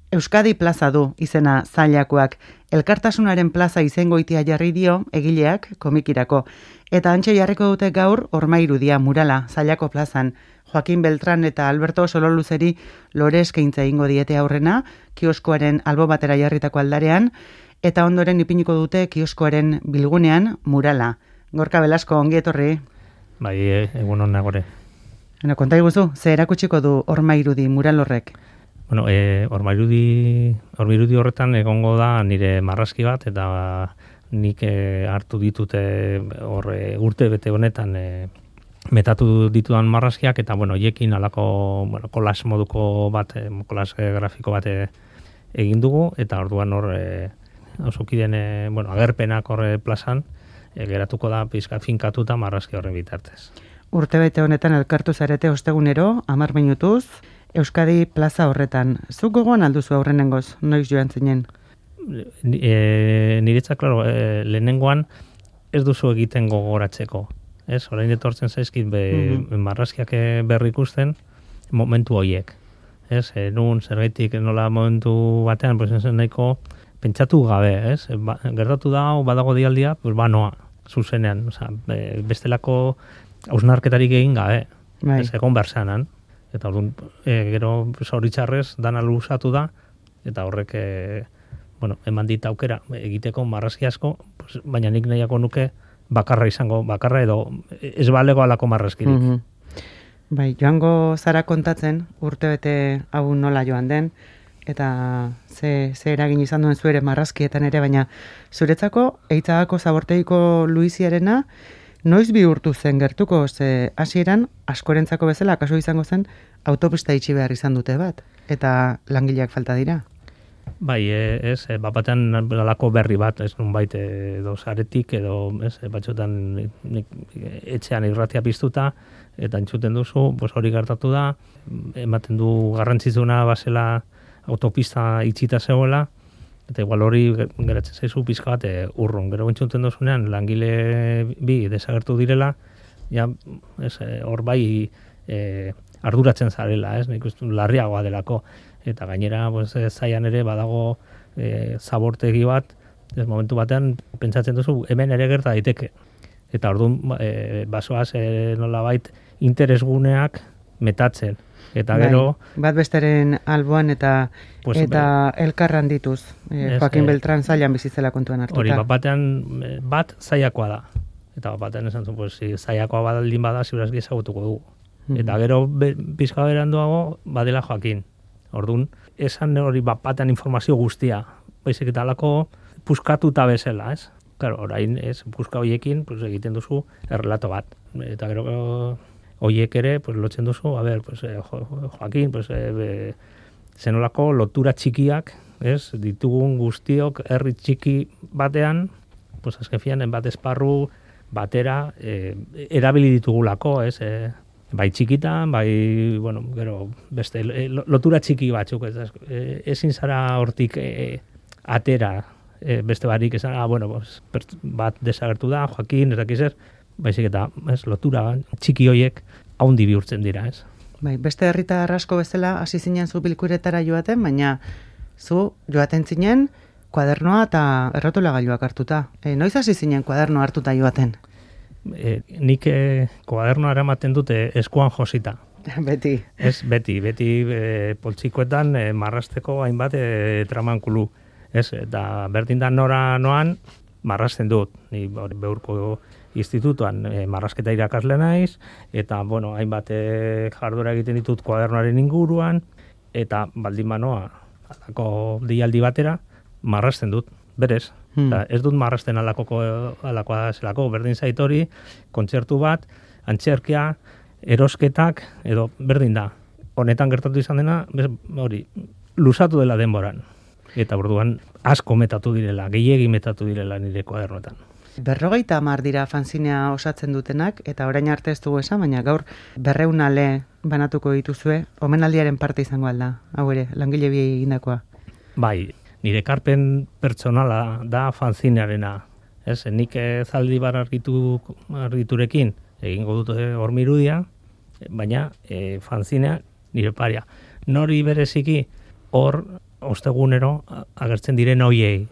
Euskadi plaza du izena Zailakoak. Elkartasunaren plaza izengoitia jarri dio egileak komikirako. Eta antxe jarriko dute gaur Ormairudia murala Zailako plazan. Joaquin Beltran eta Alberto Sololuzeri lore eskaintza egingo diete aurrena, kioskoaren albo batera jarritako aldarean, eta ondoren ipiniko dute kioskoaren bilgunean murala. Gorka Belasko, ongi etorri. Bai, egun hon nagore. Konta iguzu, ze erakutsiko du Ormairudi mural horrek? Bueno, Ormairudi horretan egongo da nire marrazki bat, eta nik hartu ditute urte bete honetan metatu ditudan marrazkiak, eta hoiekin alako kolas moduko bat, kolas grafiko bat egin dugu, eta orduan hor osokiden agerpenak horre plazan, geratuko da pizka finkatuta marrazki horren bitartez. Urtebete honetan elkartu zarete ostegunero, 10 minutuz, Euskadi plaza horretan. Zuk gogoan alduzu aurrenengoz, noiz joan zinen? Niretzak, klaro, lehenengoan ez duzu egiten gogoratzeko. Ez, orain etortzen zaizkit marrazkiak berri ikusten momentu horiek. Ez, nun zergaitik nola momentu batean, pues zen nahiko pentsatu gabe, ez? Gertatu da, badago dialdia, pues noa, zuzenean, bestelako hausnarketarik egin gabe, ez egon berzanan. Eta orduan, gero zoritxarrez dana luzatu da, eta horrek, eman dit aukera egiteko marrazki asko, baina nik nahiako nuke bakarra edo ez balego alako marrazkirik. Bai, joango zara kontatzen, urtebete hau nola joan den, eta ze eragin izan duen zuere marrazkietan ere, baina zuretzako eitzagako zaborteiko Luiziarena, noiz bihurtu zen gertuko, ze hasieran askorentzako bezala, kaso izango zen, autopista itxi behar izan dute bat, eta langileak falta dira. Bai, batean alako berri bat, ez nunbait edo zaretik, edo batxotan etxean irratia piztuta, eta entzuten duzu, hori gertatu da, ematen du garrantzitsuna basela autopista itxita zegoela, eta igual hori geratzen zaizu pizka bat urrun. Gero entzuten duzunean langile bi desagertu direla, hor bai arduratzen zarela, nik uste larriagoa delako. Eta gainera, zaian ere badago zabortegi bat, momentu batean pentsatzen duzu hemen ere gerta daiteke. Eta orduan basoaz nolabait interesguneak metatzen. Eta gero... Bat besteren alboan eta elkarran dituz. Joaquin Beltran Zailan bizitzela kontuan hartuta. Hori, batean bat Zailakoa da. Eta batean esan zuen, Zailakoa badaldin bada, ziurazki ezagutuko dugu. Eta gero pizka beranduago badela Joaquin. Orduan, esan hori batean informazio guztia. Baizik eta alako puskatuta bezala, ez? Claro, orain ez, puska horiekin egiten duzu errelato bat. Eta gero... Oiek ere, lotzen duzu, Joaquin, zenolako lotura txikiak, ez, ditugun guztiok herri txiki batean, azken fian, bat esparru batera erabili ditugulako, ez, bai txikitan, bai, gero, beste, lotura txiki batzuk, ezin zara hortik atera, beste barik, esan, bat desagertu da, Joaquin, ez dakizer, baizik eta lotura txiki hoiek haundi bihurtzen dira, ez? Bai, beste herritar asko bezala hasi zinen zu bilkuretara joaten, baina zu joaten zinen kuadernoa eta errotulagailuak hartuta. Noiz hasi zinen kuadernoa hartuta joaten? Nik kuadernoa eramaten dute eskuan josita. Beti. Ez, beti poltsikoetan marrasteko hainbat tramankulu. Ez, eta berdin da nora noan marrasten dut. Ni beurko institutuan marrazketa irakasle naiz, eta, hainbat jardura egiten ditut kuadernoaren inguruan, eta baldin banoa, alako deialdi batera, marrazten dut, berez. Ez dut marrazten alakoa zelako, berdin zaitori, kontzertu bat, antzerkia, erosketak, edo berdin da. Honetan gertatu izan dena, hori, luzatu dela denboran. Eta orduan asko metatu direla, gehiegi metatu direla nire kuadernoetan. 50 dira fanzinea osatzen dutenak, eta orain arte ez dugu esan, baina gaur 200 ale banatuko dituzue, omenaldiaren parte izango alda, hau ere, langile bi egindakoa. Bai, nire ekarpen pertsonala da fanzinearena. Ez, nik Zaldibar argiturekin egingo dut Ormairudia, baina fanzinea nire paria. Nori bereziki hor ostegunero agertzen diren hoiei.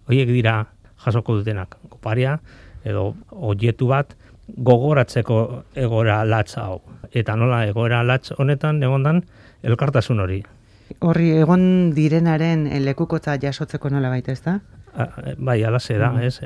Hoiek dira jasoko dutenak. Oparia edo objetu bat gogoratzeko egoera latz hau. Eta nola egoera latz honetan egondan elkartasun hori. Horri egon direnaren lekukotza jasotzeko nola baita, ez da? Bai, alaze da, ez?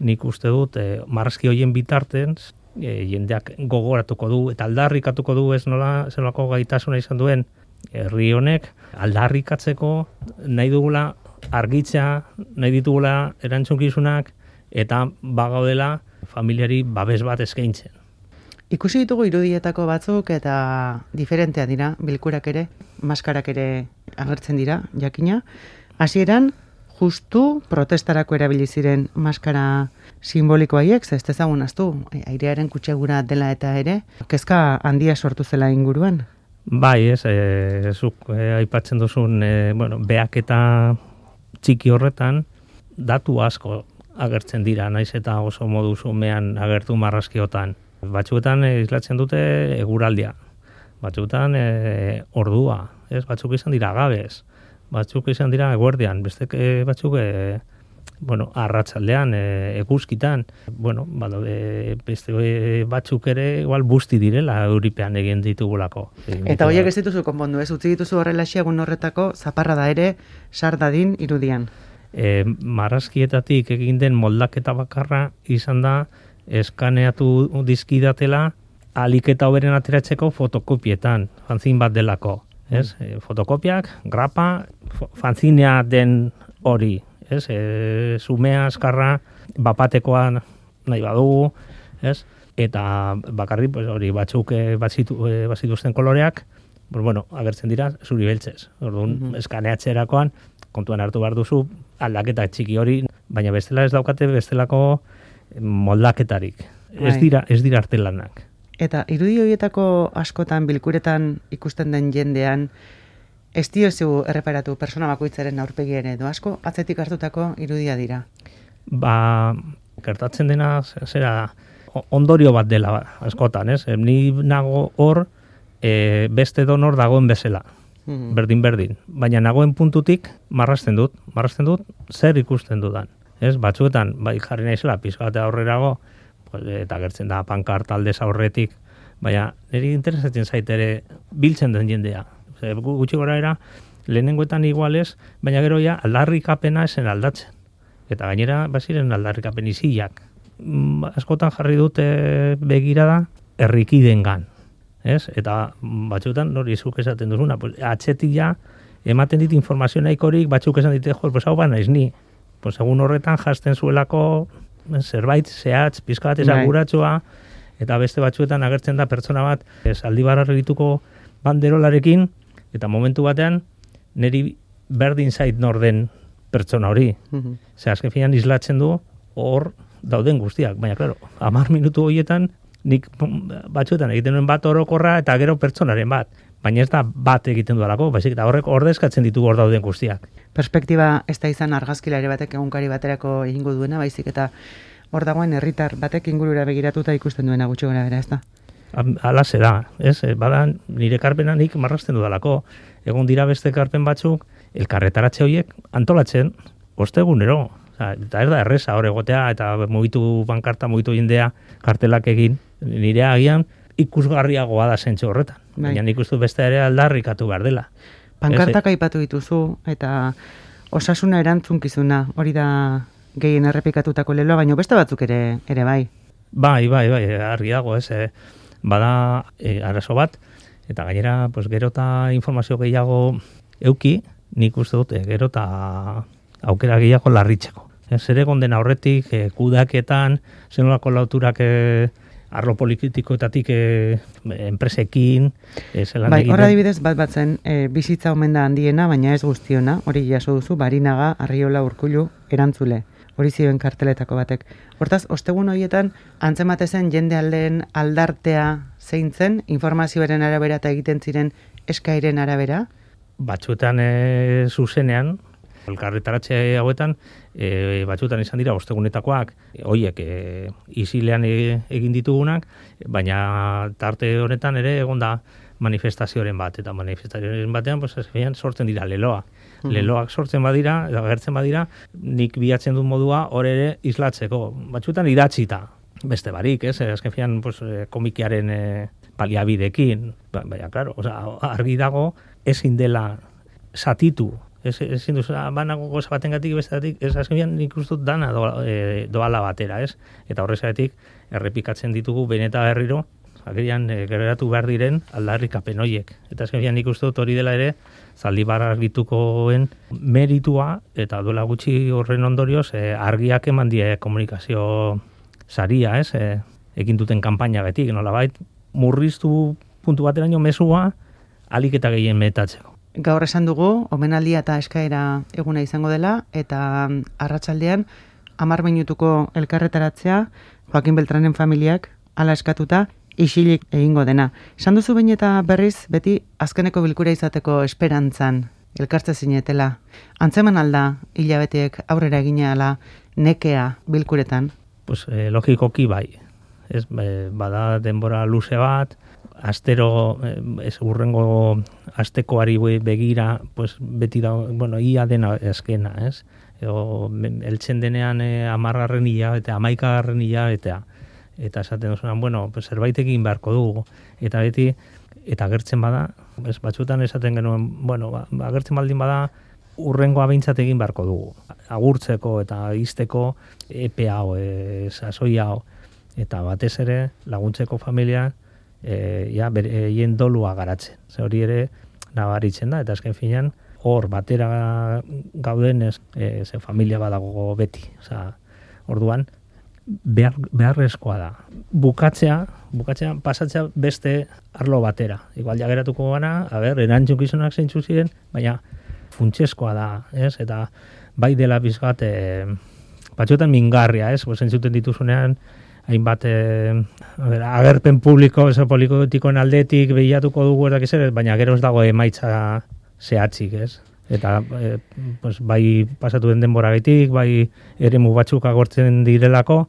Nik uste dut, marrazki horien bitarten, jendeak gogoratuko du, eta aldarrikatuko du ez nola, zelako gaitasuna izan duen, herri honek aldarrikatzeko nahi dugula argitza, nahi ditugula erantzunkizunak, eta bagaudela familiari babes bat eskaintzen. Ikusi ditugu irudietako batzuk eta diferentea dira, bilkurak ere, maskarak ere agertzen dira, jakina. Hasieran justu protestarako erabili ziren maskara simboliko haiek, ez dezagun aztu, airearen kutsegura dela eta ere, kezka handia sortu zela inguruan. Bai, zuk aipatzen duzun, beak eta txiki horretan, datu asko agertzen dira, naiz eta oso modu zumean agertu marrazkiotan. Batzuetan islatzen dute eguraldia, batzuetan ordua, ez? Batzuk izan dira gabez, batzuk izan dira eguerdian, bestek batzuk arratsaldean, eguzkitan, beste batzuk ere igual busti direla euripean egin ditugulako. Eta horiek ez dituzu konpondu, ez? Utzi dituzu horrelaxe egun horretako zaparra da ere sar dadin irudian. Marrazkietatik egin den moldaketa bakarra izan da eskaneatu dizkidatela ahalik eta hoberen ateratzeko fotokopietan, fanzin bat delako. Ez? Fotokopiak, grapa, fanzinea den hori. Ez? Zumea, azkarra, bapatekoa nahi badugu. Ez? Eta bakarri hori batzuk bazituzten koloreak, agertzen dira zuri beltzez. Orduan, eskaneatzerakoan, kontuan hartu behar duzu, aldaketa txiki hori, baina bestela ez daukate bestelako moldaketarik. Ez dira artelanak. Eta irudi horietako askotan bilkuretan ikusten den jendean, ez diozu erreparatu persona bakoitzaren aurpegian edo asko atzetik hartutako irudia dira. Gertatzen dena zera ondorio bat dela askotan, ez? Ni nago hor beste donor dagoen bezala. Berdin. Baina nagoen puntutik marrazten dut zer ikusten dudan. Ez, batzuetan, jarri naizela, pizka bat aurrerago, eta gertzen da pankarta aldez aurretik, baina niri interesatzen zaitere biltzen den jendea. Gutxi gora era, lehenengoetan igualez, baina gero ja aldarrikapena esen aldatzen. Eta gainera, baziren aldarrikapen iziak. Askotan jarri dute begirada, herrikidengan. Ez? Eta batzuetan, nori zuk esaten duzuna, atzetik ja, ematen dit informazio nahikorik, batzuk esan dite, hau ba naiz ni. Egun horretan jasten zuelako zerbait zehatz, pizka bat esaguratsua, eta beste batzuetan agertzen da pertsona bat Zaldibarra egituko banderolarekin, eta momentu batean niri berdin zait norden pertsona hori. Ze azken finean islatzen du hor dauden guztiak, baina klaro, 10 minutu horietan nik batzuetan egiten nuen bat orokorra eta gero pertsonaren bat. Baina ez da bat egiten dualako, baizik eta horrek ordezkatzen ditugu hor dauden guztiak. Perspektiba ez da izan argazkilari batek egunkari baterako egingo duena, baizik eta hor dagoen herritar batek ingurura begiratuta ikusten duena gutxi gora bera, ez da? Alaze da, ez? Bada nire karpena nik marrazten dudalako. Egun dira beste karpen batzuk, elkarretaratze horiek antolatzen, ostegunero. Eta ez da erreza hor egotea, eta mugitu bankarta, mugitu jendea kartelak egin, nire agian ikusgarriagoa da zentzu horretan. Baina nik uste beste ere aldarrikatu behar dela. Pankartak aipatu dituzu, eta osasuna erantzunkizuna, hori da gehien errepikatutako leloa, baina beste batzuk ere bai. Bai, argi dago, ez. Bada arazo bat, eta gainera, gero eta informazio gehiago euki, nik uste dute, gero eta aukera gehiago larritzeko. Zer egon den aurretik, kudaketan, zenolako lauturak arlo politikoetatik enpresekin. Horra adibidez bat zen, bizitza omen da handiena, baina ez guztiona, hori jaso duzu, Barinaga, Arriola, Urkullu, erantzule. Hori zioen karteletako batek. Hortaz, ostegun horietan, antzematezen jende aldeen aldartea zein zen, informazioaren arabera eta egiten ziren eskairen arabera? Batzuetan zuzenean, elkarretaratze hauetan, batzuetan izan dira ostegunetakoak, horiek isilean egin ditugunak, baina tarte honetan ere egon da manifestazioaren bat, eta manifestazioaren batean, pues, sortzen dira leloa. Leloak sortzen badira, eta agertzen badira, nik bilatzen dut modua hor ere islatzeko. Batzutan idatzita, beste barik, ez? Azken finean, pues, komikiaren paliabidekin, baina, klaro, argi dago, ezin dela satitu, ezin duz, banago goza batengatik besteatik, ez azken finean nik ustut dana doala batera, ez? Eta horrezatik, errepikatzen ditugu beneta berriro, agerian gereratu behar diren aldarrikapen horiek. Eta azken finean nik uste dut hori dela ere, Zaldibar argitukoen meritua, eta duela gutxi horren ondorioz, argiak eman die komunikazio saria, ez? Egin duten kanpaina betik, nolabait, murriztu puntu bateraino mesua, alik eta gehien metatzeko. Gaur esan dugu, omenaldia eta eskaera eguna izango dela, eta arratsaldean 10 minutuko elkarretaratzea, Joakin Beltranen familiak hala eskatuta, isilik egingo dena. Esan duzu behin eta berriz, beti azkeneko bilkura izateko esperantzan elkartze zinetela. Antzeman alda, hilabeteek aurrera egina ala nekea bilkuretan? Pues, logikoki bai. Ez, bada denbora luze bat, astero, urrengo astekoari begira, pues, beti da, ia dena eskena, ez? Eltzen denean 10. hilabete, 11. hilabetea. Eta esaten duzunan, pues, zerbait egin beharko dugu. Eta beti, eta agertzen bada, batzutan esaten genuen, agertzen baldin bada, urrengoa behintzat egin beharko dugu. Agurtzeko eta izteko epe hau, sasoi hau. Eta batez ere, laguntzeko familia, hien dolua garatzen. Ze hori ere, nabaritzen da, eta azken finean, hor batera gaudenez, ze familia badago beti. Orduan, beharrezkoa da. Bukatzea, pasatzea beste arlo batera. Igual jageratuko gana, erantzukizunak zeintzu ziren, baina funtsezkoa da, ez? Eta bai dela bizkat, batzuetan mingarria, ez? Zentzuten dituzunean, hainbat agerpen publiko, politikoen aldetik behiratuko dugu baina gero ez dago emaitza zehatzik, ez? Eta bai pasatu den denboragatik, bai eremu batzuk agortzen direlako,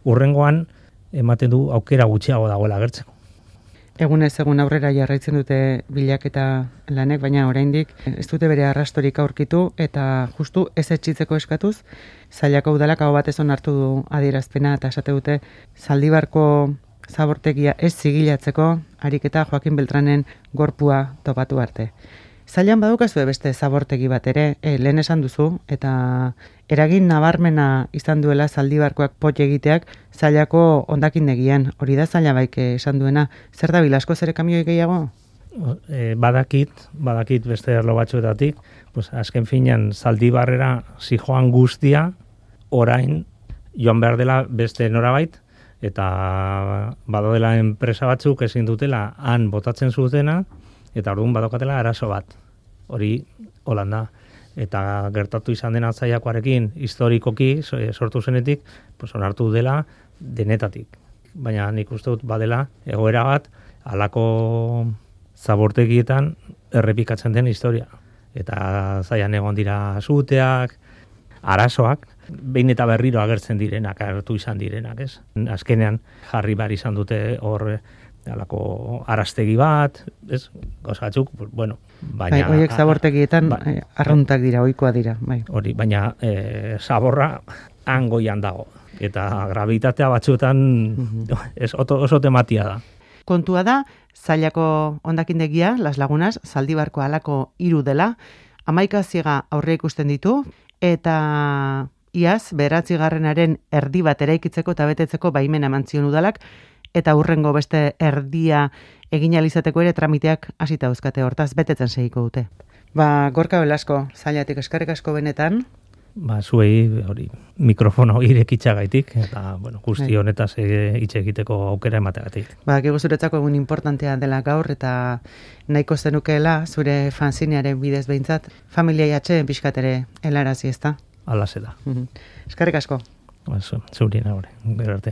urrengoan ematen du aukera gutxiago dagoela agertzeko. Egunez egun aurrera jarraitzen dute bilaketa lanek, baina oraindik ez dute bere arrastorik aurkitu eta justu ez etxitzeko eskatuz, Zailako udalak aho batez onartu du adierazpena eta esate dute Zaldibarko zabortegia ez zigilatzeko ariketa Joakin Beltranen gorpua topatu arte. Zailan badukazue beste zabortegi bat ere, lehen esan duzu, eta eragin nabarmena izan duela Zaldibarkoak pot egiteak Zailako hondakindegian. Hori da Zaila baik esan duena. Zer da bilasko zere kamioi gehiago? Badakit beste erlo batzuetatik, azken finean Zaldibarrera zijoan guztia, orain joan behar dela beste norabait, eta badodela enpresa batzuk ezin dutela han botatzen zutena, eta orduan badokatela arazo bat. Hori Holanda. Eta gertatu izan dena Zailakoarekin historikoki sortu zenetik, onartu dela denetatik. Baina nik uste dut badela egoera bat halako zabortegietan errepikatzen den historia. Eta Zailan egon dira suteak, arazoak, behin eta berriro agertzen direnak, agertu izan direnak, ez? Azkenean jarri behar izan dute hor alako arastegi bat, ez? Gauzatzuk, baina... Horiek zabortegietan arruntak dira, ohikoa dira. Hori, baina zaborra hangoian dago. Eta gravitatea batzuetan oso tematia da. Kontua da, Zailako hondakindegia, Las Lagunas, Zaldibarko halako 3 dela, 11 ziega aurre ikusten ditu, eta iaz, 9. erdi bat eraikitzeko eta betetzeko baimena eman zion udalak, eta hurrengo beste erdia egin alizateko ere tramiteak hasita dauzkate, hortaz betetzen segiko dute. Gorka Belasko, Zailatik eskerrik asko benetan. Zuei hori mikrofono irekitzagaitik eta guzti honetaz hitz egiteko aukera emategatik. Badakigu zuretzako egun importantea dela gaur eta nahiko zenukeela zure fanzinearen bidez behintzat familia atxeen pixkat ere helarazi, ezta? Hala zeda. Eskerrik asko. Zurien hori, gero arte.